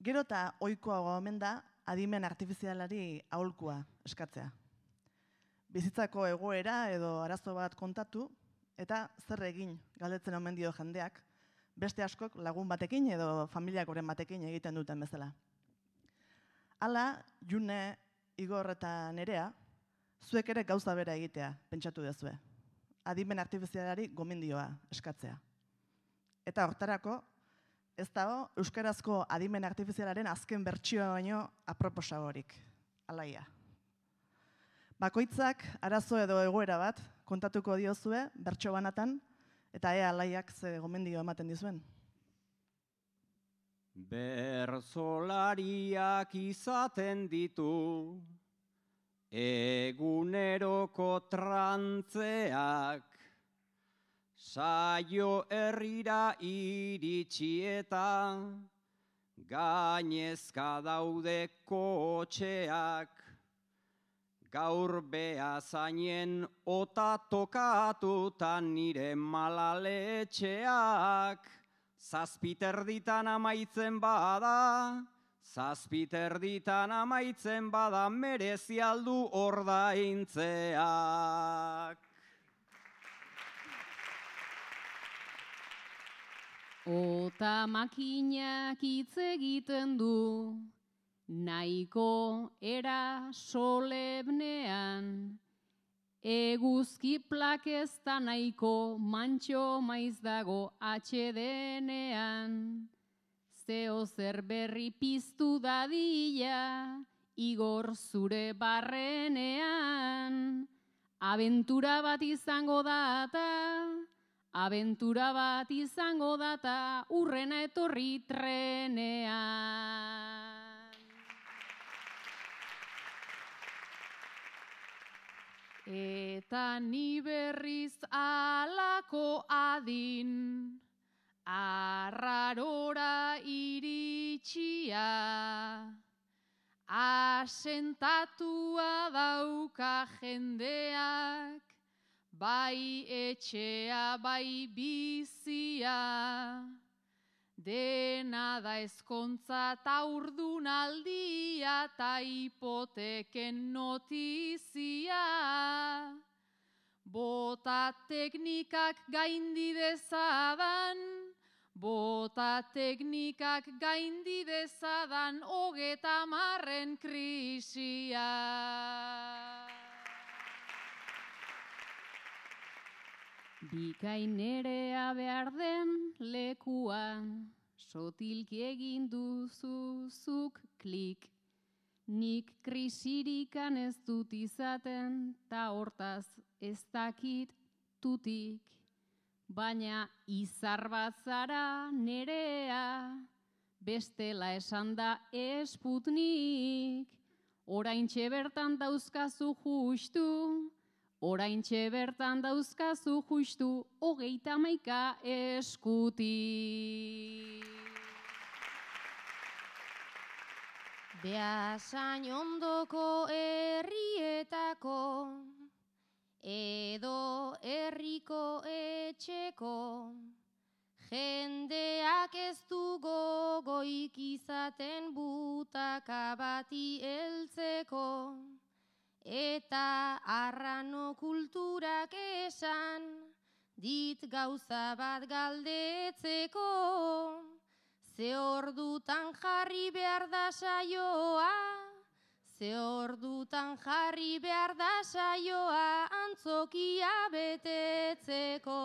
Gero eta ohikoagoa omen da adimen artifizialari aholkua eskatzea. Bizitzako egoera edo arazo bat kontatu eta zer egin galdetzen omen dio jendeak, beste askok lagun batekin edo familiakoren batekin egiten duten bezala. Hala, June, Igor eta Nerea, zuek ere gauza bera egitea pentsatu duzue. Adimen artifizialari gomendioa eskatzea. Eta hortarako, ez dago euskarazko adimen artifizialaren azken bertsioa baino aproposagorik. Alaia. Bakoitzak arazo edo egoera bat kontatuko diozue bertso banatan, eta ea alaiak ze gomendio ematen dizuen. Bertsolariak izaten ditu eguneroko trantzeak, saio herrira iritsi eta gainezka daude kotxeak, gaur beazainen ota tokatutan nire malaletxeak, zazpiterditan amaitzen bada, merezi aldu ordaintzeak. Ota makinak hitz egiten du, nahiko era solemnean, eguzki plakesta nahiko mantxo maiz dago atxedenean. Zeo zer berri piztu dadila, Igor zure barrenean. Abentura bat izango data, urrena etorri trenean. Eta ni berriz alako adin, arrarora iritsia, asentatua dauka jendeak, bai etxea, bai bizia, dena da ezkontza ta urdunaldia ta hipoteken notizia. Bota teknikak gaindi dezadan, 30 krisia. Bikainerea behar den lekuan, sotilki egin duzuzuk klik. Nik krisirikan ez dut izaten, ta hortaz ez dakit tutik. Baina izar bat zara Nerea, bestela esan da Sputnik. Oraintxe bertan dauzkazu justu, 31 eskutik. Beasain ondoko herrietako, edo herriko etxeko, jendeak ez du gogoik izaten butaka bati heltzeko, eta arrano kulturak esan dit gauza bat galdetzeko. Ze ordutan jarri behar da saioa, antzokia betetzeko.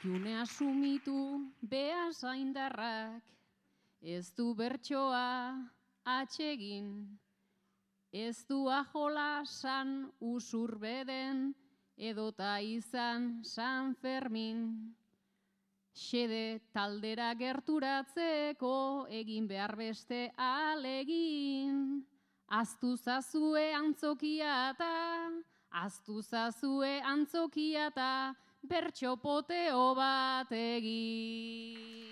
June asumitu beasaindarrak, ez du bertsoa atsegin, ez du ajola san usurbeden, edota izan San Fermin. Xede taldera gerturatzeko egin behar beste alegin. Aztu zazue antzokia eta bertso poteo bat egin.